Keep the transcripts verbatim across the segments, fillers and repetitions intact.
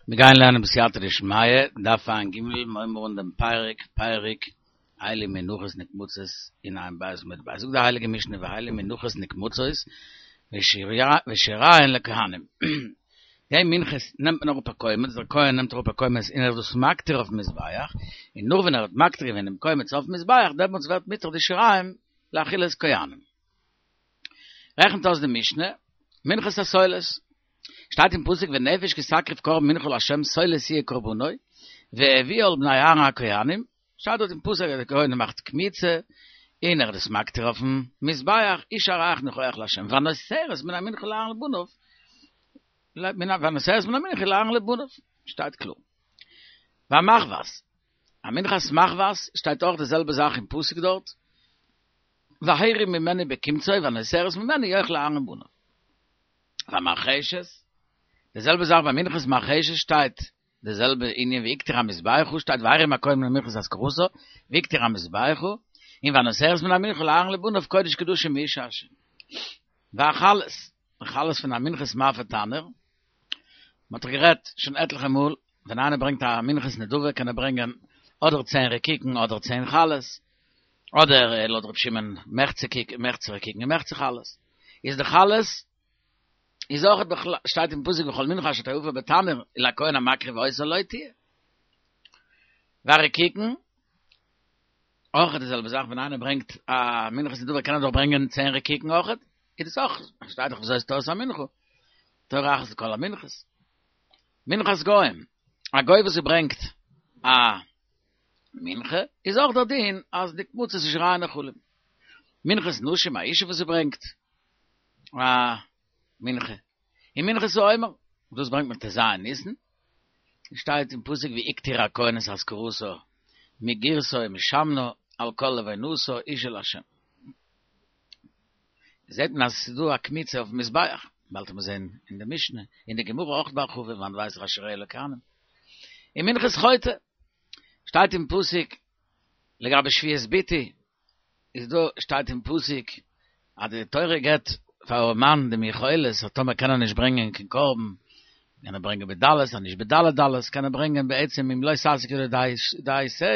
מיר גייען לערנען בסייעתא דשמיא, דף ע"ג, מיר הייבן אן דעם פרק, פרק אלו מנחות נקמצות אין ע"ב עמוד ב'. זאגט די הייליגע משנה ואלו מנחות נקמצות ושיריהן לכהנים. די מנחות נעמט מען אראפ א קומץ, דער כהן נעמט אראפ א קומץ און ער איז דאס מקטיר אויפן מזבח, און נאר ווען ער האט מקטיר געווען דעם קומץ אויפן מזבח, דעמאלטס ווערט מותר די שיריים לאכילת כהנים. רעכנט אויס די משנה, מנחת הסולת. שטייט אין פסוק ונפש כי תקריב קרבן מנחה לה' סולת יהיה קרבנו, והביאה אל בני אהרן הכהנים, שטייט דארט אין פסוק אז דער כהן מאכט קמיצה, און ער איז דאס מקטיר אויפן מזבח, אשה ריח ניחוח לה', והנותרת מן המנחה לאהרן ולבניו, והנותרת מן המנחה לאהרן ולבניו, שטייט קלאר. והמחבת, א מנחת מחבת שטייט אויך די זעלבע זאך אין פסוק דארט, והרים ממנה בקמצו והנותרת ממנה יאכלו אהרן ובניו. והמרחשת, די זעלבע זאך ביי מנחת מרחשת שטייט די זעלבע ענין והקטיר המזבחה שטייט והרים הכהן מן המנחה את אזכרתה והקטיר המזבחה און והנותרת מן המנחה לאהרן ולבניו קודש קדשים מאשה השם. והחלות, די חלות פון א מנחת מאפה תנור, מען האט דאך גערעדט שוין עטליכע מאל, ווען איינער ברענגט א מנחת נדבה קען ער ברענגען אדער צען רקיקין אדער צען חלות, אדער לויט ר' שמעון מחצה מחצה רקיקין און מחצה חלות, איז די חלות איז אויך בכלל שטייט אין פסוק וכל מנחה אשר תאפה בתנור ולכהן המקריב אותה לו תהיה. והרקיקין, אויך די זעלבע זאך ווען איינער ברענגט א מנחת נדבה קען ער דאך ברענגען צען רקיקין אויך, איז דאס אויך שטייט דאך וזאת תורת המנחה, תורה אחת לכל המנחות. מנחת גוים, א גוי וואס ברענגט א מנחה איז אויך דער דין אז נקמצות ושיריהן נאכלים. מנחת נשים א אישה וואס ברענגט א מנחה. און מנחת העומר, דאס ברענגט מען ט"ז ניסן, שטייט אין פסוק והקטיר הכהן את אזכרתה מגרשה ומשמנה על כל לבונתה אשה לה'. זעט מען אז עס איז דא א קמיצה אויפן מזבח, באלד וועט מען זען אין די משנה, אין די גמרא אויך בהרחבה, וואנעט ווייס איך אז שיריה לכהנים. און מנחת חוטא, שטייט אין פסוק לגבי שבועת ביטוי, איז דא שטייט אין פסוק אז די תורה געבט פאר א מאן דעם יכולת אז טאמער קען ער נישט ברענגען קיין קרבן קען ער ברענגען בדלות אז נישט בדלי דלות קען ער ברענגען בעצם אם לא תשיג ידו די שה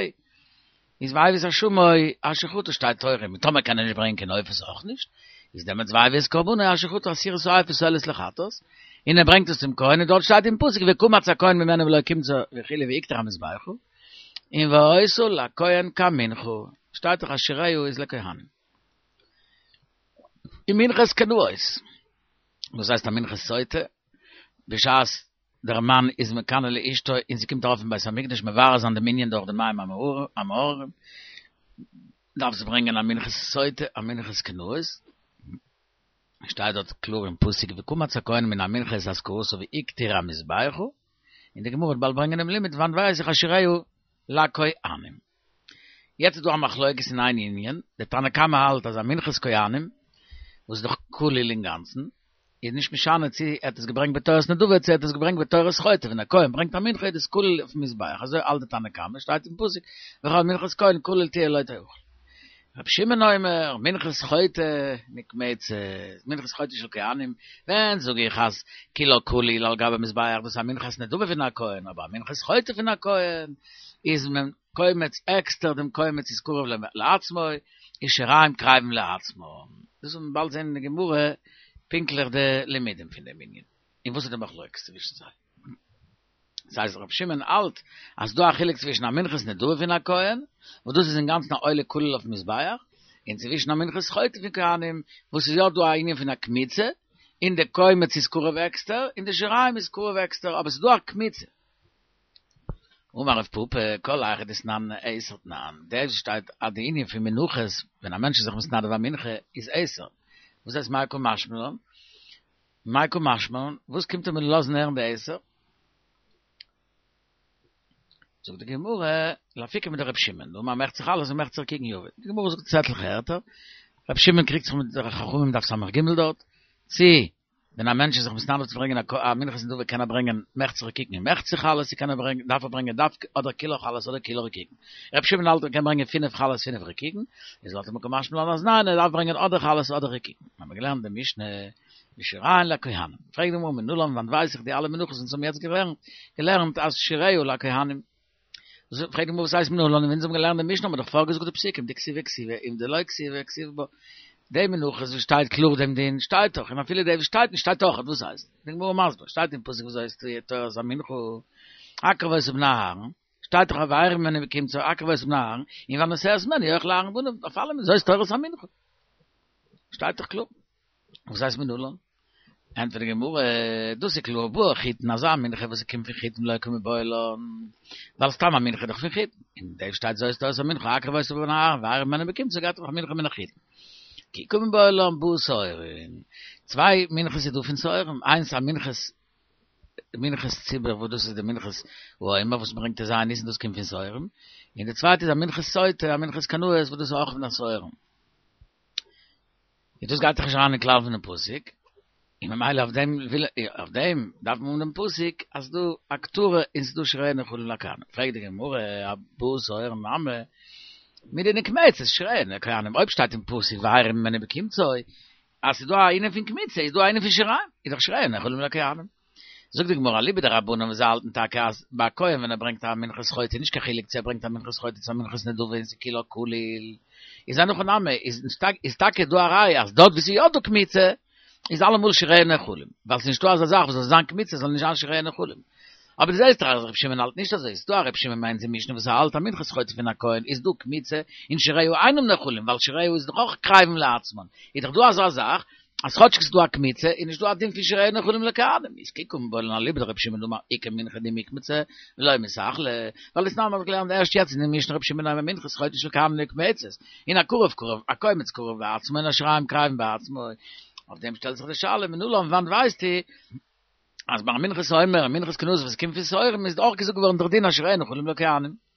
איז והביא את אשמו אשר חטא שטייט תורה און טאמער קען ער נישט ברענגען קיין עופות אויך נישט איז דעמאלטס והביא את קרבנו אשר חטא עשירית האיפה סולת לחטאת און ער ברענגט עס צום כהן און דארט שטייט אין פסוק וקמץ הכהן ממנה במלא קומצו וכו' והקטיר המזבחה און והיתה לכהן כמנחה שטייט דאך אז שיריה איז לכהנים. און מנחת קנאות, וואס הייסט א מנחת סוטה, בשעת דער מאן איז מקנא לאשתו און זי קומט ארויף אין בית המקדש מברר זיין דעם ענין דורך די מים המאררים, דארף זי ברענגען א מנחת סוטה, א מנחת קנאות, שטייט דארט קלאר אין פסוק וקמץ הכהן מן המנחה את אזכרתה והקטיר המזבחה, און די גמרא וועט באלד ברענגען דעם לימוד וואנעט ווייס איך אז שיריה לכהנים. יעצט איז דא א מחלוקת אין איין ענין, דער תנא קמא האלט אז א מנחת כהנים, וואס איז דאך כליל אינגאנצן, איז נישט משנה צו ער האט עס געברענגט בתורת נדבה צו ער האט עס געברענגט בתורת חוטא, ווען א כהן ברענגט א מנחה איז דאס כליל אויפן מזבח, אזוי האלט דער תנא קמא, שטייט אין פסוק, וכל מנחת כהן כליל תהיה לא תאכל. רבי שמעון אומר, מנחת חוטא נקמצת, מנחת חוטא של כהנים, ווען זאג איך אז כולה כליל על גבי מזבח דאס איז א מנחת נדבה פון א כהן, אבער א מנחת חוטא פון א כהן איז מען קומץ עקסטער דעם קומץ איז קרב לעצמו, און שיריים קרבים לעצמו. דאס וועט מען באלד זען אין די גמרא פונקטליך די לימודים פון דעם ענין, און וואס איז די מחלוקת צווישן זיי. דאס הייסט רבי שמעון האלט אז ס'דא א חילוק צווישן א מנחת נדבה פון א כהן, וואס דאס איז אינגאנצן א עולה כליל אויפן מזבח, און צווישן א מנחת חוטא פון כהנים, וואס איז יא דא א ענין פון א קמיצה, און די קומץ איז קרב עקסטער, און די שיריים איז קרב עקסטער, אבער ס'איז דא א קמיצה. אמר רב פפא, כל היכא דתנן עשר תנן, דאס שטייט אז די ענין פון מנחות, ווען א מענטש איז זיך מתנדב א מנחה, איז עשר. וואס הייסט מאי קא משמע לן? מאי קא משמע לן? וואס קומט ער מיר לאזן הערן די עשר? זאגט די גמרא, לאפוקי מדרבי שמעון, דאמר מחצה חלות ומחצה רקיקין יביא. די גמרא זאגט עטליכע ערטער, רבי שמעון קריגט זיך מיט די חכמים דף ס"ג דארט, צי ווען א מענטש איז זיך מתנדב צו ברענגען א מנחת נדבה קען ער ברענגען מחצה רקיקין און מחצה חלות, צו קען ער ברענגען דארף ער ברענגען דווקא אדער כולו חלות אדער כולו רקיקין. רבי שמעון האלט ער קען ברענגען פינף חלות פינף רקיקין, איז לויט אים קא משמע לן אז ניין ער דארף ברענגען אדער חלות אדער רקיקין. האבן מיר געלערנט די משנה ושיריהן לכהנים. פרעגט די גמרא מנלן וואנען ווייס איך די אלע מנחות וואס האבן יעצט געלערנט, געלערנט אז שיריה לכהנים. פרעגט די גמרא וואס הייסט מנלן ווען אונז האבן געלערנט די משנה האבן מיר דאך פארגעזאגט די פסוקים דכתיבי כתיבי און דלא כתיבי כתיב בה. די מנחות וואס שטייט קלאר דעם דין שטייט דאך און אפילו די וואס שטייט נישט שטייט אויך וואס הייסט די גמרא מסביר שטייט אין פסוק וזאת תורת המנחה הקרב אותה בני אהרן שטייט דאך והאירה ממנה בקמצו הקרב אותה בני אהרן און והנוסע ממנה יאכל אהרן ובניו אויף אלעם זאת תורת המנחה שטייט דאך קלאר וואס הייסט מנלן? ענטפערט די גמרא, דאס איז קלאר, באה חיטין, אזא מנחה וואס קומט פון חיטין לא קא מיבעיא לן, ווייל סתם א מנחה איז דאך פון חיטין, און דעם שטייט זאת תורת המנחה הקרב אותה בני אהרן והאירה ממנה בקמצו גייט דאך מנחה מן החיטין. כי קא מיבעיא לן באה שעורים, צוויי מנחות איז דא פון שעורים, איינס א מנחת מנחת ציבור וואס דאס איז די מנחת העומר וואס מ'ברענגט אין ז' ניסן דאס קומט פון שעורים, און די צווייטע איז א מנחת סוטה א מנחת קנאות וואס דאס איז אויך פון די שעורים. און דאס גייט דאך נישט אריין אין כלל פונעם פסוק, און ממילא אויף דעם וויל אויף דעם דארף מען האבן דעם פסוק אז ס'דא הקטרה און ס'דא שיריה נאכלים לכהנים. פרעגט די גמרא, באה שעורים נמי, מדנקמצת שיריה לכהנים, אויב שטייט אין פסוק והאירה ממנה בקמצו, אז ס'איז דא א ענין פון קמיצה איז דא א ענין פון שיריים, איז דאך שיריה נאכלים לכהנים. זאגט די גמרא אליבא דרבנן וואס זיי האלטן טאקע אז ביי א כהן ווען ער ברענגט א מנחת חוטא איז נישט קיין חילוק צו ער ברענגט א מנחת חוטא צו א מנחת נדבה און ס'איז כולה כליל איז אין הכי נמי איז טאקע דא א ראיה אז דארט ווי ס'איז יא דא קמיצה איז אלעמאל שיריה נאכלים ווייל ס'איז נישטא אזא זאך וואס זאל זיין קמיצה זאל נישט זיין שיריה נאכלים אבער דו זעסט דאך אז רבי שמעון האלט נישט אזוי ס'איז דא א רבי שמעון ביי אונז אין משנה וואס ער האלט א מנחת חוטא פון א כהן איז דא קמיצה און שיריה אינם נאכלים ווייל שיריה איז דאך אויך קרבים לעצמן איז דאך דא אזא זאך אז כאטשיג ס'איז דא א קמיצה איז נישט דא א דין פון שיריה נאכלים לכהנים, איז כי קא מיבעיא לן אליבא דרבי שמעון דאמר עיקר מנחה דמקמצי ולא מיתאכלא, ווייל דתנן מ'האט געלערנט ערשט יעצט אין די משנה רבי שמעון אומר מנחת חוטא של כהנים נקמצת, און הקרב קרב הקומץ קרב בעצמו און השיריים קרבים בעצמו, אויף דעם שטעלט זיך די שאלה מנלן וואנעט ווייסטו אז ביי מנחת העומר און מנחת קנאות וואס קומט פון שעורים איז אויך געזאגט געווארן דער דין אז שיריה נאכלים לכהנים?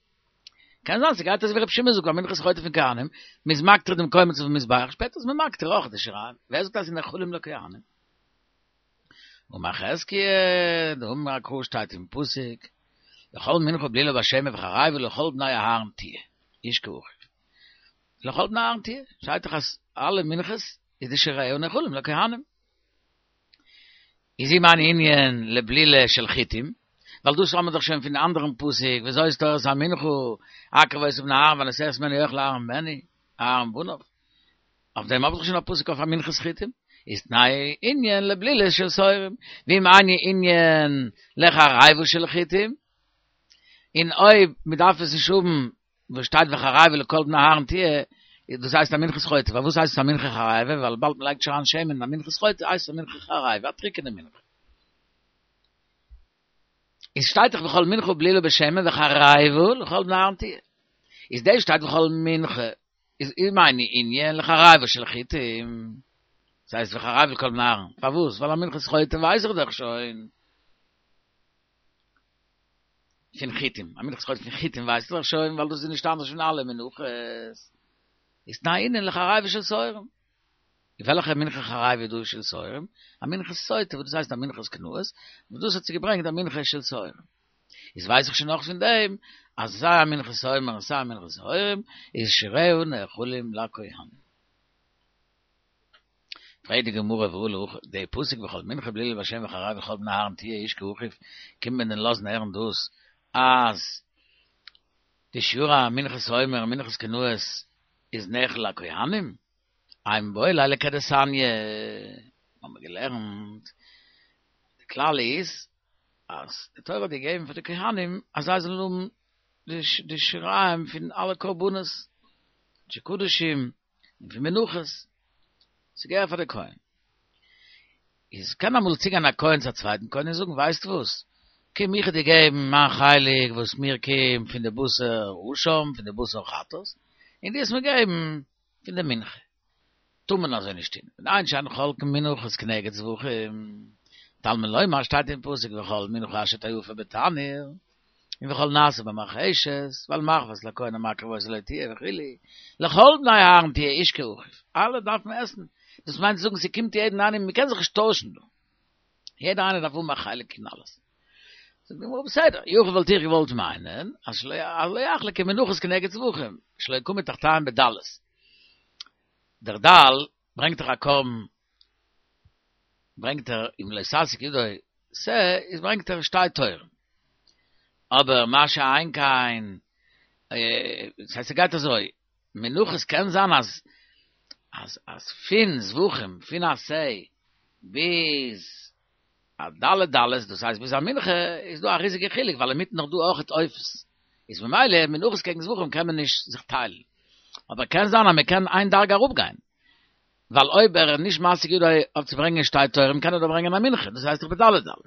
קען זיין ס'גייט אזוי ווי רבי שמעון זאגט ביי מנחת חוטא פון כהנים, מ'איז מקטיר דעם קומץ אויפן מזבח, שפעטער איז מען מקטיר אויך די שיריים, ווער זאגט אז ס'איז נאכלים לכהנים? אמר חזקיה, דאמר קרא שטייט אין פסוק, לכל מנחה בלולה בשמן וחרבה לכל בני אהרן תהיה, איש כאחיו. לכל בני אהרן תהיה, שטייט דאך אז אלע מנחות איז די שיריה נאכלים לכהנים. איז אם אני ענין לבלילה של חיטים, ווייל דאס האבן מיר דאך שוין פון די אנדערן פסוק, וזאת תורת המנחה, הקרב אותה בני אהרן והנוסע ממנה יאכל אהרן בני, אהרן ובניו. אויף דעם האב איך דאך שוין א פסוק אויף א מנחת חיטים, איז תנאי ענין לבלילה של שעורים, ואם אני ענין לחריבה של חיטים, און אויב מ'דארף עס נישט האבן וואס שטייט וחריבה לכל בני אהרן תהיה, דאס הייסט א מנחת חוטא, פארוואס הייסט עס א מנחה חריבה, ווייל וויבאלד מען לייגט נישט אריין שמן אין א מנחת חוטא הייסט עס א מנחה חריבה, א טריקענע מנחה. איז שטייט דאך וכל מנחה בלולה בשמן וחריבה לכל בני אהרן תהיה. איז דאס שטייט וכל מנחה, איז אם אינו ענין לחריבה של חיטים, דאס הייסט וחריבה לכל בני אהרן, פארוואס? ווייל א מנחת חוטא ווייס איך דאך שוין. פון חיטים, א מנחת חוטא פון חיטים ווייסטו דאך שוין, ווייל דאס איז נישט אנדערש פון אלע מנחות. איז תנאי ענין לחריבה של שעורים. און וועלכע מנחה חריבה איז דא של שעורים? א מנחת סוטה, וואס דאס הייסט א מנחת קנאות, וואס דאס האט זי געברענגט א מנחה של שעורים. איז ווייס איך שוין נאך פון דעם, אז סיי א מנחת עומר און סיי א מנחת שעורים, איז שיריה נאכלים לכהנים. פרעגט די גמרא והא להכי, די פסוק וכל מנחה בלולה בשמן וחריבה לכל בני אהרן תהיה איש כאחיו, קומט מען דען לאזן הערן דאס אז די שיעור המנחת עומר און מנחת קנאות איז נאכל לכהנים? אימא מיבעי ליה לכדתניא, האבן מיר געלערנט, די כלל איז אז די תורה האט געגעבן פאר די כהנים אז זיי זאלן האבן די שיריים פון אלע קרבנות, קדשי קדשים, און פון מנחות, ס'געהער פאר די כהן. איז קען אמאל צוגיין א כהן צו א צווייטן כהן און זאגן, ווייסט וואס, קום איך וועל דיר געבן מיין חלק וואס מיר קומט פון די בשר אשם, פון די בשר חטאת, און דו וועסט מיר געבן פון די מנחה. טאר מען אזוי נישט טון, מפני שאין חולקין מנחות כנגד זבחים, תלמוד לומר שטייט אין פסוק וכל מנחה אשר תאפה בתנור, און וכל נעשה במרחשת, ועל מחבת לכהן המקריב אותה לא תהיה וכו', לכל בני אהרן תהיה איש כאחיו, אלע דארפן עסן, דאס מיינט צו זאגן ס'קומט יעדן איינעם, מ'קען זיך נישט טוישן דא, יעדער איינער דארף האבן א חלק אין אלעס. זאגט די גמרא בסדר, יכול וואלט איך געוואלט מיינען אז שלא יחלקו מנחות כנגד זבחים, שלא יקמו תחתיהם בדלות. דער דל ברענגט דאך א קרבן ברענגט ער אם לא תשיג ידו שה, איז ברענגט ער שתי תורים. אבער מה שאין כן, דאס הייסט ס'גייט אזוי, מנחות קען זיין אז אז אז פון זבחים, פון א שה ביז א ד' דלות, דאס הייסט ביז א מנחה, איז דא א ריזיגע חילוק, ווייל אינמיטן נאך דא אויכעט עופות. איז ממילא מנחות קעגן זבחים קען מען נישט זיך טיילן. אבער קען זיין אז מען קען איין דרגה אראפגיין. ווייל אויב ער איז נישט משיג ידו אויף צו ברענגען שתי תורים קען ער דאך ברענגען א מנחה, דאס הייסט דאך בד' דלות.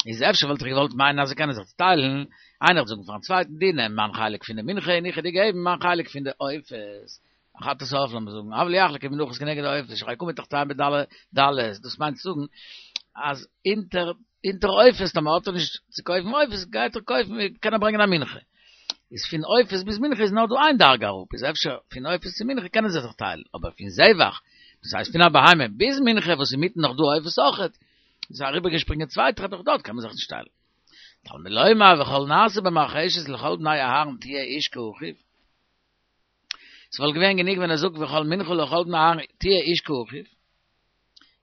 איז אפשר וואלט איך געוואלט מיינען אז זיי קענען זיך צוטיילן, איינער וועט זאגן פארן צווייטן דו נעם מיין חלק פון די מנחה און איך וועל דיר געבן מיין חלק פון די עופות, א חטאת העוף לאמיר זאגן, אבל יחלקו מנחות כנגד העופות, שהרי קמו תחתיהם בד' דלות, דאס מיינט צו זאגן אז אונטער אונטער עופות טאמער האט ער נישט צו קויפן עופות גייט ער קויפן קען ער ברענגען א מנחה. איז פון עופות ביז מנחה איז נאר דא איין דרגה אראפ, איז אפשר פון עופות צו מנחה קענען זיי זיך טיילן, אבער פון זבח, דאס הייסט פון א בהמה ביז מנחה וואס אינמיטן נאך דא עופות אויכעט, איז אריבערגעשפרינגען צוויי טרעפ אויך דארט קען מען זיך נישט טיילן. תלמוד לומר וכל נעשה במרחשת לכל בני אהרן תהיה איש כאחיו. ס'וואלט געווען גענוג ווען ער זאגט וכל מנחה לכל בני אהרן תהיה איש כאחיו.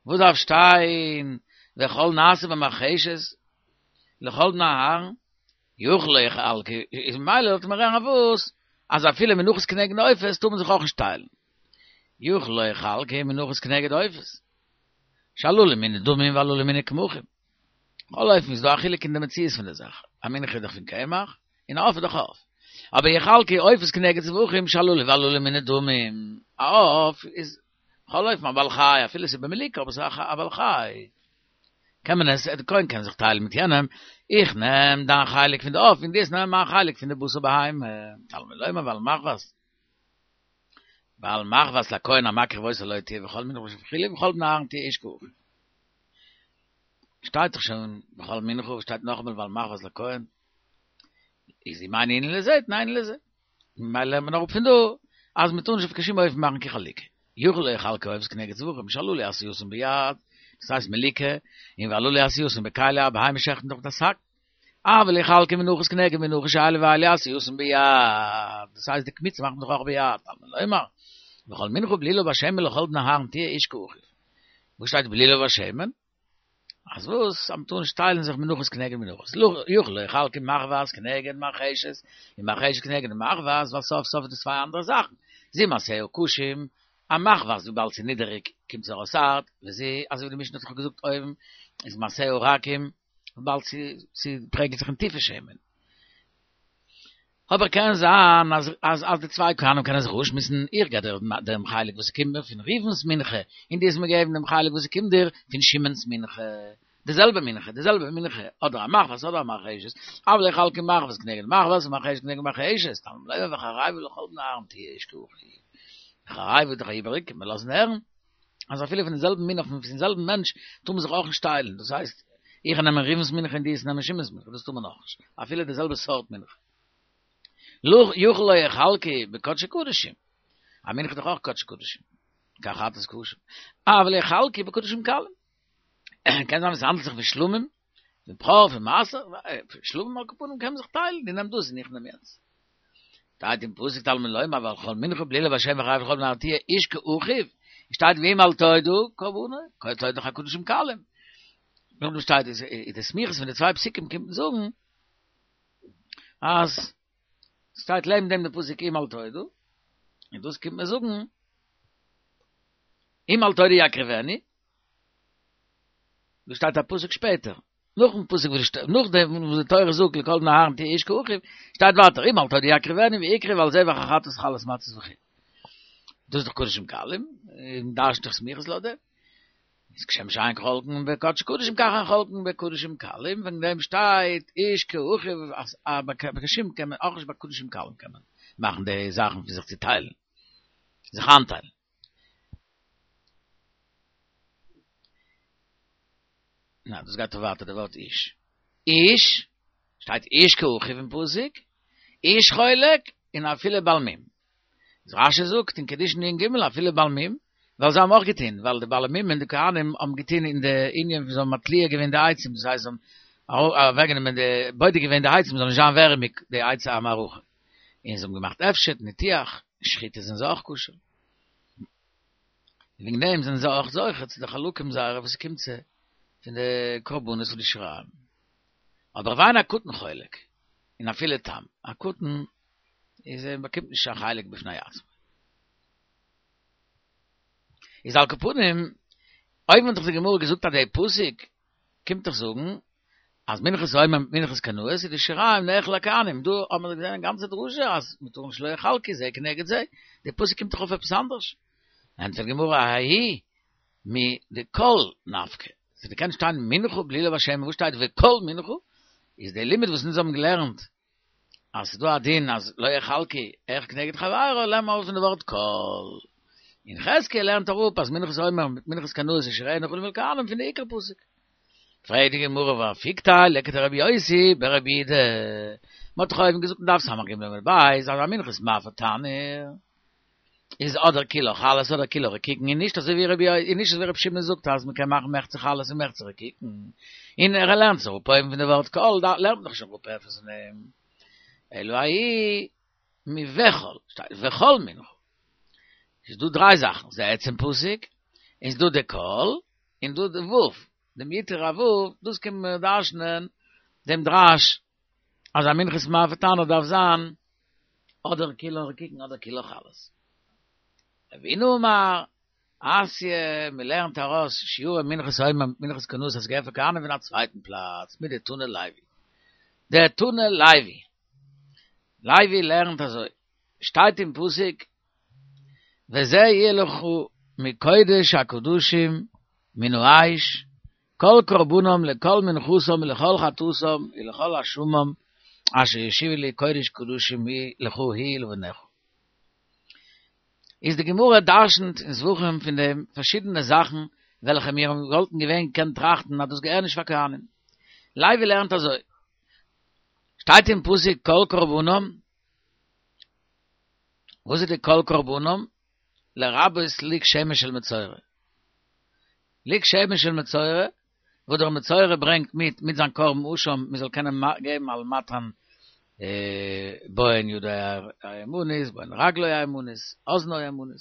וואס דארף שטיין וכל נעשה במרחשת לכל בני אהרן? יכול לא יחלקו, איז ממילא זאלט מען רעכענען וואס אז אפילו מנחות כנגד עופות טאר מען זיך אויך נישט טיילן. יכול לא יחלקו מנחות כנגד עופות. שהללו מיני דמים והללו מיני קמחים. בכל אופן איז דא א חילוק אין די מציאות פון די זאך. א מנחה איז דאך פון קמח, און א עוף איז דאך עוף. אבער יחלקו עופות כנגד זבחים שהללו והללו מיני דמים. א עוף איז בכל אופן א בעל חי, אפילו ס'איז במליקה אבער ס'איז א בעל חי. קען מען עס, דער כהן קען זיך טיילן מיט יענעם, איך נעם דיין חלק פון די עוף און דו וועסט נעמען מיין חלק פון די בשר בהמה. תלמוד לומר ועל מחבת ועל מחבת לכהן המקריב אותה לו תהיה וכל מנחה וכו' ולכל בני אהרן תהיה איש כאחיו. שטייט דאך שוין וכל מנחה שטייט נאכאמאל ועל מחבת לכהן. איז אם אין ענין לזה תנא ענין לזה. ממילא לערנט מען אראפ פון דא אז מען טאר נישט אויף קיין שום אופן מאכן קיין חלוקה. יכול לא יחלקו עופות כנגד זבחים שהללו עשייתן ביד, דאס הייסט מליקה, און והללו עשייתן בכלי א בהמה שעכט מען דאך מיט א סכין. אבל יחלקו מנחות כנגד מנחות שאלו ואלו עשייתן ביד, דאס הייסט די קמיצה מאכט מען דאך אויך ביד, תלמוד לומר, וכל מנחה בלולה בשמן לכל בני אהרן תהיה איש כאחיו. וואו שטייט בלולה בשמן? אז וואס? אז מ'טאר נישט טיילן זיך מנחות כנגד מנחות. יכול לא יחלקו מחבת כנגד מרחשת, און מרחשת כנגד מחבת, ווייל סוף סוף איז דאס צוויי אנדערע זאכן. זו מעשיה קשים, א מחבת וויבאלד ס'איז נידעריג קומט זי ארויס הארט, וזו, אזוי ווי די משנה האט דאך געזאגט אויבן, איז מעשיה רכים, וויבאלד ס'פרעגלט זיך אין טיפע שמן. אבער קען זיין אז אז אז די צוויי כהנים קענען זיך אויסשמועסן, איך געב דיר דעם חלק וואס ס'קומט מיר פון ראובן'ס מנחה, און דו וועסט מיר געבן דעם חלק וואס ס'קומט דיר פון שמעון'ס מנחה, די זעלבע מנחה, די זעלבע מנחה, אדער א מחבת אדער א מרחשת, אבל לא יחלקו מחבת כנגד מחבת ומרחשת כנגד מרחשת, תלמוד לומר וחרבה לכל בני אהרן תהיה איש כאחיו. וחרבה איז דאך איבעריג, קען מען לאזן הערן אז אפילו פון די זעלבן מין אויף פון זעלבן מענטש טאר מען זיך אויך נישט טיילן, דאס הייסט, איך נעם ראובן'ס מנחה און דו וועסט נעמען שמעון'ס מנחה, דאס טאר מען אויך נישט, אפילו די זעלבע סארט מנחה. יכול לא יחלקו בקדשי קדשים, א מנחה איז דאך אויך קדשי קדשים, כחטאת קשה, אבל יחלקו בקדשים קלים, קען זיין ווען ס'האנדלט זיך פון שלמים, פון בכור, פון מעשר, שלמים על כל פנים קען מען זיך טיילן, דו נעם דאס און איך נעם יענץ. שטייט אין פסוק תלמוד לומר וכל מנחה בלולה בשמן וחרבה לכל בני אהרן תהיה איש כאחיו, שטייט ואם אל תודה קרבנו, תודה דאך א קדשים קלים. נאכדעם שטייט איז די סמיכות פון די צוויי פסוקים קומט מען זאגן אז שטייט לעבן דעם די פסוק אם אל תודה, און דאס קומט מען זאגן אם אל תודה יקריבנו, דא שטייט א פסוק שפעטער, נאכן פסוק וואס שטייט, נאך דעם וואס די תורה זאגט לכל בני אהרן תהיה איש כאחיו, שטייט ווייטער אם אל תודה יקריבנו והקריב על זבח החטאת חלות מצות וכו'. דאס איז דאך קדשים קלים, און דרש'נט דאך סמיכות לויט דעם. איז כשם שאין חולקין בקדשי קדשים כך אין חולקין בקדשים קלים, וועגן דעם שטייט איש כאחיו אז ביי קדשים קען מען אויך נישט ביי קדשים קלים קען מען מאכן די זאכן פון זיך צוטיילן, זיך איינטיילן. נא, דאס גייט ווייטער די ווארט איש. איש, שטייט איש כאחיו אין פסוק, איש חולק, און אפילו בעל מום. איז רשי זאגט אין קידושין נ ג אפילו בעל מום, ווייל זיי האבן אויך געטון, ווייל די בעלי מומין די כהנים האבן געטון אין די ענין וואס זיי האבן מתליה געווען די עצים, דאס הייסט זיי האבן אוועקגענומען די, בודק געווען די עצים זאל נישט זיין ווערעמיג די עצי המערכה, און זיי האבן געמאכט הפשט, ניתוח, שחיטה זענען זיי אויך כשר. וועגן דעם זענען זיי אויך זוכה צו די חלקים זייערע וואס ס'קומט צו. פון די קרבנות פון די שיריים. אבער ואין הקטן חולק, און אפילו תם, א קטן איז ער באקומט נישט א חלק בפני עצמו. איז על כל פנים, אויב האט דאך די גמרא געזאגט אז דער פסוק קומט דאך זאגן אז מנחת העומר מיט מנחת קנאות איז די שיריים נאכל לכהנים, דא האט מען געזען א גאנצע דרשה אז מען טאר נישט לא יחלקו זה כנגד זה, דער פסוק קומט דאך אויף עפעס אנדערש. ענטפערט די גמרא ההיא מדכל נפקא, ס'קען שטיין מנחה בלולה בשמן, וואס שטייט וכל מנחה? איז דער לימוד וואס אונז האבן געלערנט אז ס'איז דא א דין אז לא יחלקו אחד כנגד חברו לערנט מען ארויס פון די ווארט כל. און חזקיה לערנט אראפ אז מנחת העומר מיט מנחת קנאות איז שיריה נאכלים לכהנים פון די עיקר פסוק. פרעגט די גמרא והא פלוגתא לכדרבי יוסי ברבי יהודה, מ'האט דאך אויבן געזאגט אין דף ס"ג עמוד ב' אז א מנחת מאפה תנור איז אדער כולה חלות אדער כולה רקיקין און נישט אזוי ווי רבי און נישט אזוי ווי רבי שמעון זאגט אז מ'קען מאכן מחצה חלות און מחצה רקיקין און ער לערנט עס אראפ אויבן פון די ווארט כל לערנט מען דאך נישט אראפ עפעס פון דעם אלא ההיא מוכל שטייט וכל מנחה איז דא דריי זאכן ס'איז די עצם פסוק און ס'דא די כל און דא די ו' דעם יתר הו' דאס קען מען דרש'נען דעם דרש אז א מנחת מאפה תנור דארף זיין אדער כולה רקיקין אדער כולה חלות. רבינא אמר, אתיא, מען לערנט ארויס שיורי מנחת העומר מיט מנחת קנאות אז ס'געהערט פאר כהנים פון א צווייטן פלאץ, מדתני לוי. דתני לוי. לוי לערנט אזוי, שטייט אין פסוק, וזה יהיה לך מקודש הקדשים מן האש, כל קרבנם לכל מנחתם ולכל חטאתם ולכל אשמם אשר ישיבו לי קודש קדשים היא לך היא ולבניך. איז די גמרא דרשנ'ט אין זבחים פון דעם פארשידענע זאכן וועלכע מיר וואלטן געווען געקענט טראכטן אז דאס געהער נישט פאר כהנים. לוי לערנט אזוי, שטייט אין פסוק כל קרבנם, וואס איז די כל קרבנם? לרבות לוג שמן של מצורע. לוג שמן של מצורע, וואס דער מצורע ברענגט מיט מיט זיין קרבן אשם, מען זאל קענען געבן על מתן בוהן ידו הימנית, בוהן רגלו הימנית, אזנו הימנית.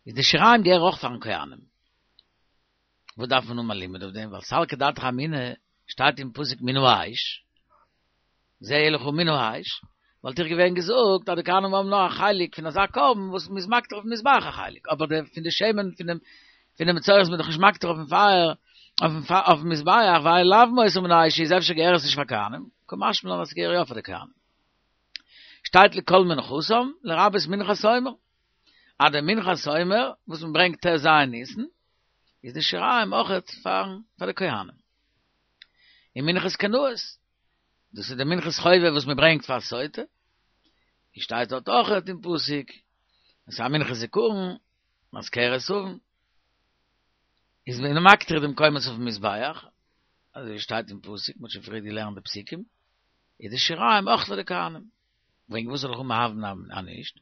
איז די שיריים געהער אויך פארן כהנים. וואס דארף מען האבן א לימוד אויף דעם? ווייל סלקא דעתך אמינא שטייט אין פסוק מן האש, זה יהיה לך מן האש, וואלט איך געווען געזאגט אז די כהנים האבן נאר א חלק פון אזא קרבן וואס מ'איז מקטיר אויפן מזבח א חלק, אבער די פון די שמן פון דעם פון דעם מצורע איז מען דאך נישט מקטיר אויפן פייער אויפן מזבח, ווייל לאו מותר מן האש איז אפשר געהער עס נישט פאר כהנים, קא משמע לן אז ס'געהער יא פאר די כהנים. שטייט לכל מנחתם לרבות מנחת העומר, אז די מנחת העומר וואס מ'ברענגט ט"ז ניסן איז די שיריים אויכעט פארן פאר די כהנים. און מנחת קנאות, דאס איז די מנחת חובה וואס מען ברענגט פאר סוטה, און שטייט דארט אויכעט אין פסוק, עס איז א מנחת זכרון, מזכרת עון, איז מען מקטיר דעם קומץ אויפן מזבח, אזוי ווי שטייט אין פסוק, מען האט שוין פריער געלערנט די פסוקים, איז די שיריים אויך פאר די כהנים. וועגן וואס זאל איך האבן א הוה אמינא אז נישט?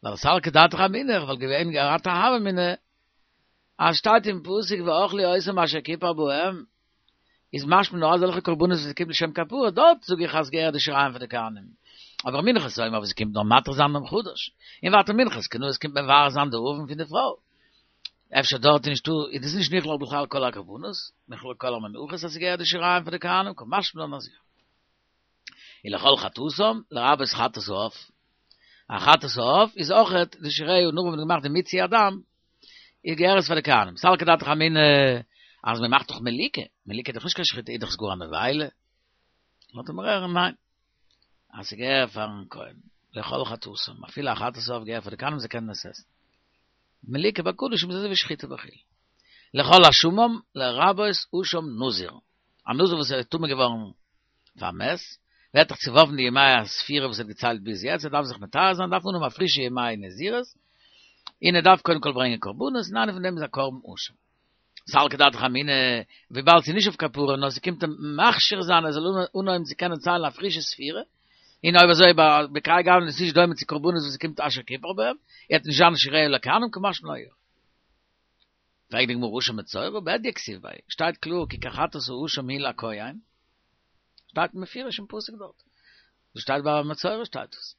ווייל סלקא דעתך אמינא, איך וואלט געווען געהאט א הוה אמינא, אז שטייט אין פסוק ואכלו אותם אשר כיפר בהם, איז משמע נאר אזעלכע קרבנות וואס קומט לשם כפרה, דארט זאג איך אז געהערט די שיריים פאר די כהנים. אבער מנחת העומר וואס קומט נאר מתיר זיין דעם חדש, און ווייטער מנחת קנאות קומט מבער זיין די עוון פון די פרוי. אפשר דארט איז נישטא, איז דאס נישט נכלל בכלל כל הקרבנות, נכלל כל המנחות אז ס'געהערט די שיריים פאר די כהנים, קא משמע לן אז יא. ולכל חטאתם, לרבות חטאת העוף. א חטאת העוף איז אויכעט די שיריה נאך ווען מ'האט געמאכט די מיצוי הדם, איז געהער עס פאר די כהנים. סלקא דעתך אמינא אז מען מאכט דאך מליקה, מליקה איז דאך נישט קיין שחיטה, איז דאך עס גאר א נבילה. לאזט ער מיר הערן ניין, אז ס'געהער פארן כהן, לכל חטאתם, אפילו א חטאת העוף געהער פאר די כהנים זיי קענען עס עסן. מליקה בקדשים איז אזוי ווי שחיטה בחולין. לכל אשמם לרבות אשם נזיר, א נזיר וואס איז טמא געווארן פאר מת, ווערט דאך צעווארפן די ימי הספירה וואס ער האט געציילט ביז יעצט, ער דארף זיך מטהר זיין, דארף אנהויבן א פרישע ימי נזירות, און ער דארף קודם כל ברענגען קרבנות, און איינע פון דעם איז א קרבן אשם. סלקא דעתך אמינא, וויבאלד ס'איז נישט אויף כפרה, נאר ס'קומט אים מכשיר זיין ער זאל אנהויבן צו קענען ציילן א פרישע ספירה, און אויב אזוי בכהאי גוונא איז נישט דומה צו קרבנות וואס ס'קומט אשר כיפר בהם, וועט נישט זיין שיריה לכהנים קא משמע לן יא. פרעגט די גמרא אשם מצורע בהדיא כתיב ביה, שטייט קלאר כי כחטאת האשם היא לכהן, שטייט מפורש אין פסוק דארט, דאס שטייט ביי מצורע שטייט עס,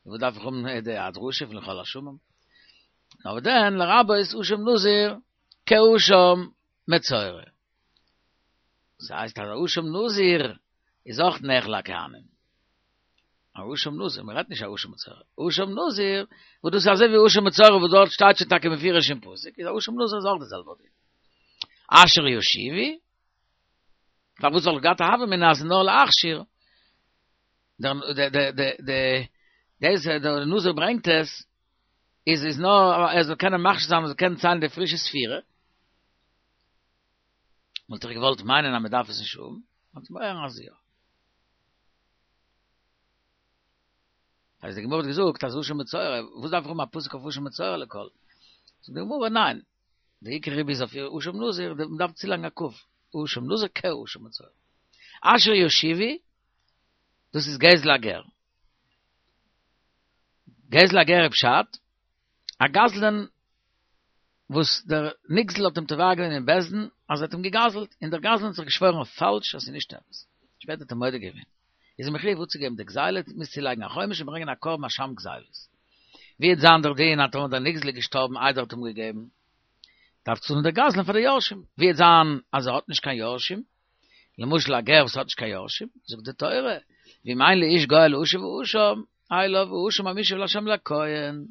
וואס דארף איך האבן די דרשה פון לכל אשמם? נאר וואס דען לרבות אשם נזיר כאשם מצורע. דאס הייסט אז אשם נזיר איז אויך נאכל לכהנים. אשם נזיר, מען רעדט נישט אשם מצורע. אשם נזיר, וואס דאס איז אזוי ווי אשם מצורע, וואס דארט שטייט שוין טאקע מפורש אין פסוק, איז אשם נזיר איז אויך די זעלבע דין. אשר יושיבו, פארוואס וואלט געהאט א הוה אמינא אז נאר להכשיר? דער דער דער דער דער דער דער נזיר ברענגט עס, איז איז נאר ער זאל קענען מכשיר זיין, ער זאל קענען ציילן די פרישע ספירה. וואלט איך געוואלט מיינען אז מען דארף עס נישט האבן, האט מען אז יא. אז די גמרא האט געזאגט אז אשם מצורע, וואס דארף איך האבן א פסוק אויף אשם מצורע לכל? זאגט די גמרא ניין, די עיקר ריבוי איז אויף אשם נזיר, מען דארף צולייגן א כף, אשם נזיר כאשם מצורע. אשר יושיבו, דאס איז גזל הגר. גזל הגר איז פשט, א גזלן וואס דער נגזל האט אים תובע געווען אין בית דין אז ער האט אים געגזלט, און דער גזלן האט זיך געשוואוירן אויף פאלש אז ס'איז נישט אמת. שפעטער האט ער מודה געווען. איז ער מחויב אפצוגעבן די גזילה, מוז צולייגן א חומש און ברענגען א קרבן אשם גזילות. ווי וועט זיין דער דין אז טאמער דער נגזל איז געשטארבן איידער ער האט אים געגעבן, דארף צאלן דער גזלן פאר די יורשים. ווי וועט זיין אז ער האט נישט קיין יורשים, למשל א גר וואס האט נישט קיין יורשים, זאגט די תורה, ואם אין לאיש גואל להשיב האשם, אליו האשם המושב לה' לכהן,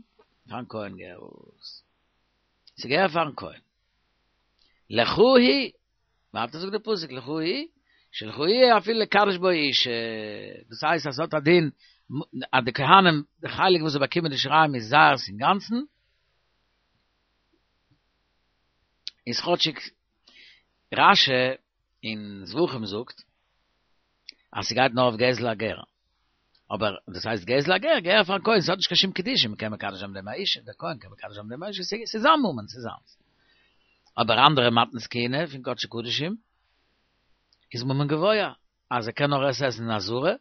פארן כהן געהערט עס. ס'געהער פארן כהן. לך היא, ווייטער זאגט די פסוק לך היא, שלך יהיה אפילו לקדש בו אשה, דאס הייסט אז ס'האט א דין אז די כהנים, די חלק וואס זיי באקומען די שיריים איז זייערס אינגאנצן, איז כאטשיג רש"י אין זבחים זאגט אז ס'גייט נאר אויף גזל הגר, אבער דאס הייסט גזל הגר, געהער פארן כהן, ס'האט נישט קיין שום קדושה, מ'קען מקדש זיין מיט דעם א אישה, דער כהן קען מקדש זיין מיט דעם א אישה, ס'איז זיין ממון, ס'איז זיינס. אבער אנדערע מתנות כהונה פון קדשי קדשים איז ממון גבוה, אז ער קען נאר עס עסן אין עזרה,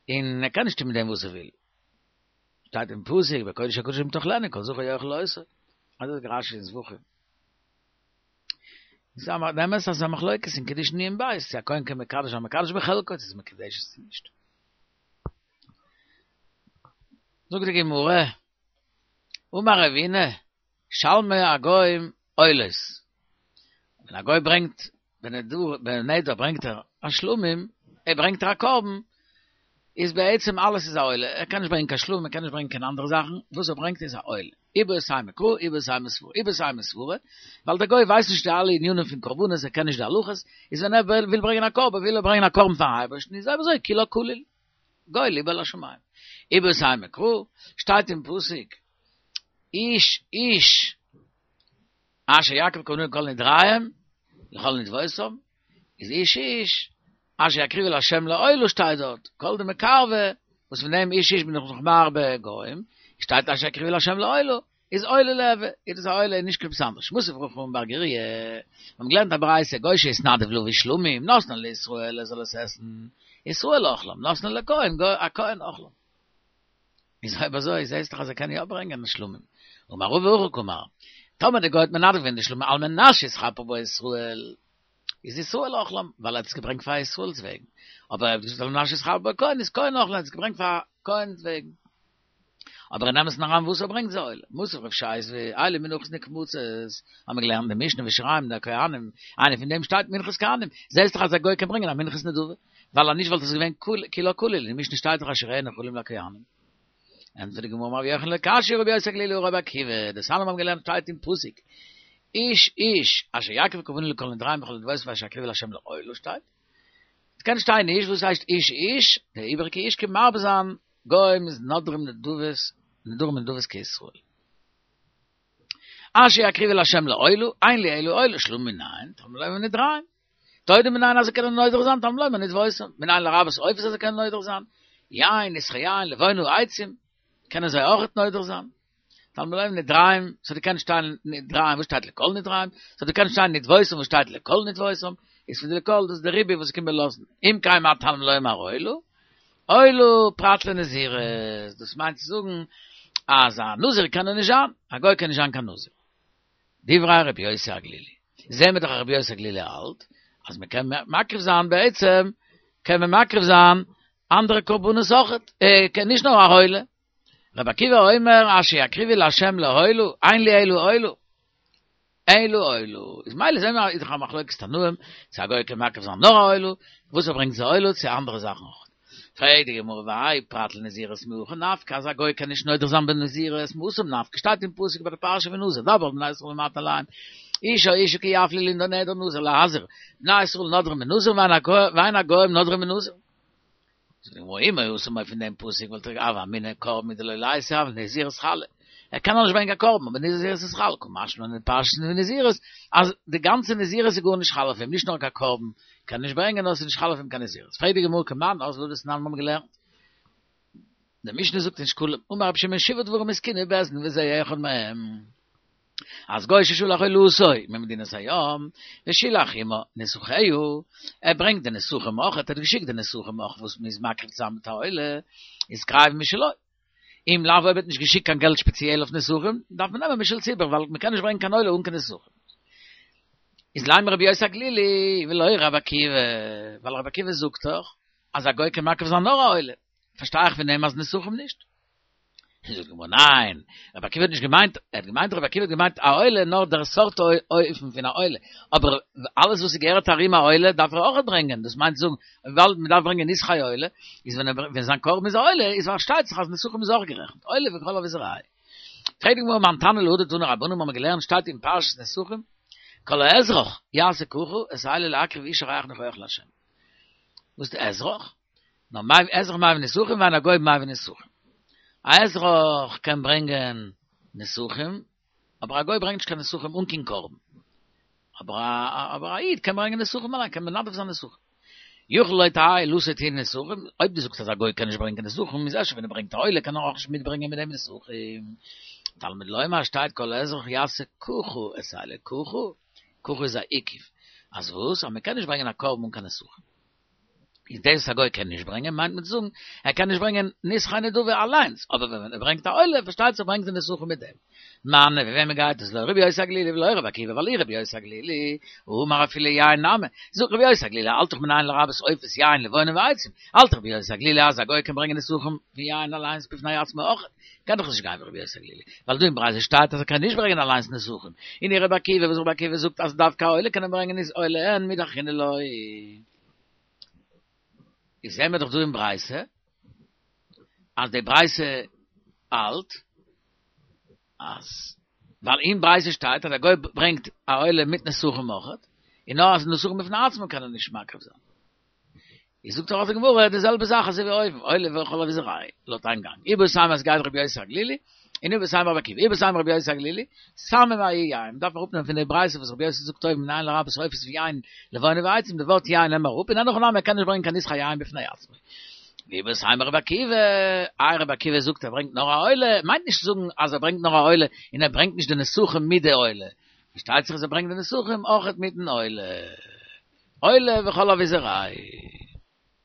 און ער קען נישט טון מיט דעם וואס ער וויל. שטייט אין פסוק בקודש הקדשים תאכלנו כל זכר יאכל אותו. אזוי זאגט רש"י אין זבחים. איז דער אמת אז ס'איז א מחלוקת אין קידושין נ"ב, צו א כהן קען מקדש זיין מקדש בחלקו, צו ס'איז מקודשת צו נישט. זאגט די גמרא, אמר רבינא, שלמי הגוים עולות. ווען א גוי ברענגט בנדר ברענגט ער א שלמים, ער ברענגט ער א קרבן, איז בעצם אלעס איז א עולה, ער קען נישט ברענגען קיין שלמים, ער קען נישט ברענגען קיין אנדערע זאכן, וואס ער ברענגט איז א עולה. איבעית אימא קרא, איבעית אימא סברא, איבעית אימא סברא, ווייל דער גוי ווייסט נישט די אלע ענינים פון קרבנות, ער קען נישט די הלכות, איז ווען ער וויל ברענגען א קרבן, וויל ער ברענגען א קרבן פארן אייבערשטן, איז אויב אזוי כולה כליל, גוי לבו לשמים. איבעית אימא קרא, שטייט אין פסוק, איש איש אשר יקריב קרבנו לכל נדריהם, לכל נדבותם, איז איש איש אשר יקריבו לה' לעולה שטייט דארט, כל דמקרבא, וואס פון דעם איש איש בין איך נאך מרבה גוים, שטייט אשר יקריבו לה' לעולה, איז עולה ליהוי, איז דאס א עולה און נישט קיין עפעס אנדערש. מתיב רב חמא בר גוריא, מיר האבן געלערנט א ברייתא, גוי שהתנדב להביא שלמים, נותנן לישראל ער זאל עס עסן, ישראל אוכלם, נותנן לכהן, הכהן אוכלם. איז אויב אזוי זעהסט דאך אז ער קען יא ברענגען שלמים. אמר רבא הכי קאמר, טאמער די גוי האט מנדב געווען די שלמים על מנת שיתכפר בו ישראל, איז ישראל אוכלם, ווייל ער האט עס געברענגט פאר ישראל'ס וועגן. אבער ער האט געזאגט על מנת שיתכפר בו כהן, איז כהן אוכלם, ער האט עס געברענגט פאר כהן'ס וועגן. אבער אין אמת'ן אריין וואס ער ברענגט איז א עולה. מתיב רב ששת, אלו מנחות נקמצות, האבן מיר געלערנט די משנה ושיריים לכהנים, איינער פון דעם שטייט מנחת כהנים, זעהסט דאך אז א גוי קען ברענגען א מנחת נדבה. ווייל אז נישט וואלט עס געווען כולה כליל, אין משנה שטייט דאך אז שיריהן נאכלים לכהנים. ענטפערט די גמרא אמר רבי יוחנן לא קשיא רבי יוסי הגלילי הא רבי עקיבא, דתניא מיר האבן געלערנט שטייט אין פסוק איש איש אשר יקריב קרבנו לכל נדריהם ולכל נדבותם אשר יקריבו לה' לעולה שטייט. עס קען שטיין איש, וואס הייסט איש איש? די איבעריגע איש קען מרבה זיין גוים איז נודרים נדבות נדרים נדבות כישראל. אשר יקריבו לה' לעולה, אין לי אלא עולה, שלמים מנין, תלמוד לומר נדריהם. תודה מנין אז זיי קענען נודר זיין, תלמוד לומר נדבותם, מנין לרבות עופות אז זיי קענען נודר זיין, יין, נסכי יין, לבונה, עצים, קענען זיי אויכעט נודר זיין. תלמוד לומר נדריהם, ס'האט געקענט שטיין נדריהם וואס שטייט לכל נדריהם, ס'האט געקענט שטיין נדבותם וואס שטייט לכל נדבותם, איז פון די לכל דאס די ריבוי וואס קומט מיר לאזן, אם כן מה תלמוד לומר עולה, עולה פרט לנזירות, דאס מיינט צו זאגן אז א נזיר קען ער נישט זיין, א גוי קען נישט זיין קיין נזיר. דברי רבי יוסי הגלילי. זעהן מיר דאך אז רבי יוסי הגלילי האלט אז מען קען מקריב זיין בעצם קען מען מקריב זיין אנדערע קרבנות אויכעט, נישט נאר א עולה. רבי עקיבא אומר אשר יקריבו לה' לעולה, אין לי אלא עולה. אלא עולה. איז ממילא זעען מיר איז דאך א מחלוקת תנאים, צו א גוי קען מקריב זיין נאר א עולה, וואס ער ברענגט איז א עולה, צו אנדערע זאכן אויך. פרעגט די גמרא והאי פרט לנזירות מהכא נפקא אז א גוי קען נישט נודר זיין בנזירות מהתם נפקא שטייט אין פסוק ביי די פרשה פון נזיר דבר אל בני ישראל ואמרת אליהם איש או אשה כי יפליא לנדור נדר נזיר להזיר בני ישראל נודרים בנזיר ואין הגוים נודרים בנזיר. זאגט די גמרא אי מהתם אויב פון דעם פסוק וואלט איך הוה אמינא קרבן הוא דלא ליתי אבל נזירות חלה ער קען נאך נישט ברענגען קיין קרבן אבער נזירות איז חל קא משמע לן אין פרשת נזירות אז די גאנצע נזירות איז גארנישט חל אויף אים נישט נאר קיין קרבן קען נישט ברענגען נאר ס'איז נישט חל אויף אים קיין נזירות פרעגט די גמרא כמאן אזלא דתנן מיר האבן געלערנט די משנה זאגט אין שקלים אמר רבי שמעון שבעה דברים התקינו בית דין וזה אחד מהם אז גוי ששלח עולתו ממדינת הים ושילח עמה נסכיה ער ברענגט די נסכים אויך ער האט געשיקט די נסכים אויך וואס מ'איז מקריב צוזאמען מיט א עולה איז קרב משלו אם לאו אויב ער האט נישט געשיקט קיין געלט שפעציעל אויף נסכים דארף מען נעמען משל ציבור ווייל מ'קען נישט ברענגען קיין עולה אן קיין נסכים איז לימא רבי יוסי הגלילי ולא רבי עקיבא ווייל רבי עקיבא זאגט דאך אז א גוי קען מקריב זיין נאר א עולה פארשטיי איך פון דעם אז נסכים נישט. זאגט די גמרא ניין, רבי עקיבא האט נישט געמיינט, ער האט געמיינט רבי עקיבא האט געמיינט א עולה נאר דער סארט אופן פון א עולה, אבער אלעס וואס ס'געהערט ארום א עולה דארף ער אויך ברענגען, דאס מיינט זאגן וויבאלד מ'דארף ברענגען נסכי עולה, איז ווען ווען זיין קרבן איז א עולה איז פארשטייט זיך אז נסכים איז אויך גערעכנט, עולה וכל אביזרייהו. פרעגט די גמרא מאן תנא להא דתנו רבנן האבן מיר געלערנט שטייט אין פרשת נסכים כל האזרח יעשה ככה את האלה להקריב אשה ריח ניחוח לה'. וואס איז די אזרח? נאר מביא אזרח מביא נסכים ואין הגוי מביא נסכים. א אזרח קען ברענגען נסכים, אבער א גוי ברענגט נישט קיין נסכים אן קיין קרבן. אבער א אבער א איד קען ברענגען נסכים אליין, קען מנדב זיין נסכים. יכול לא תהא עולתו טעונה נסכים, אויב דו זאגסט אז א גוי קען נישט ברענגען נסכים, איז אפשר ווען ער ברענגט א עולה קען ער אויך נישט מיטברענגען מיט דעם נסכים. תלמוד לומר שטייט כל האזרח יעשה ככה את האלה ככה, ככה איז א עיכוב. אז וואס? אז מען קען נישט ברענגען א קרבן אן קיין נסכים. איז דאס וואס א גוי קען נישט ברענגען מיינט מען צו זאגן ער קען נישט ברענגען נסכי נדבה אליינס, אבער ווען ער ברענגט א עולה פארשטייט זיך ברענגט ער נסכים מיט דעם. מני ווי וועמען גייט עס לא רבי יוסי הגלילי ולא רבי עקיבא ווייל אי רבי יוסי הגלילי האמר אפילו יין נמי זאגט רבי יוסי הגלילי האלט דאך מנין לרבות עופות יין לבונה ועצים האלט רבי יוסי הגלילי אז א גוי קען ברענגען נסכים פון יין אליינס בפני עצמו אויך קען דאך נישט גיין ווי רבי יוסי הגלילי ווייל דא אין ברייתא שטייט אז ער קען נישט ברענגען אליינס נסכים און אי רבי עקיבא וואס רבי עקיבא זאגט אז דווקא א עולה קען ער ברענגען איז עולה אין מידי אחרינא לא. איז זעהן מיר דאך דא אין ברייתא אז די ברייתא האלט אז ווייל אין ברייתא שטייט אז א גוי ברענגט א עולה מיט נסכים אויכעט, און נאר אז נסכים בפני עצמו קען ער נישט מקריב זיין. איז זאגט דאך די גמרא די זעלבע זאך אזוי ווי אויבן, עולה וכל אביזרייהו, לויט איין גאנג. איבעית אימא עס גייט רבי יוסי הגלילי, און איבעית אימא רבי עקיבא, איבעית אימא רבי יוסי הגלילי, סמא מההיא יין, מ'דארף אראפנעמען פון די ברייתא וואס רבי יוסי זאגט אויבן מנין לרבות עופות ויין לבונה ועצים, די ווארט יין נעם אראפ, און אין הכי נמי ער קען נישט ברענגען קיין נסכי יין בפני עצמו. ואיבעית אימא רבי עקיבא, איי רבי עקיבא זאגט ער ברענגט נאר א עולה, מיינט נישט צו זאגן אז ער ברענגט נאר א עולה און ער ברענגט נישט די נסכים מיט די עולה, פארשטייט זיך אז ער ברענגט די נסכים אויכעט מיטן עולה. עולה וכל אביזרייהו.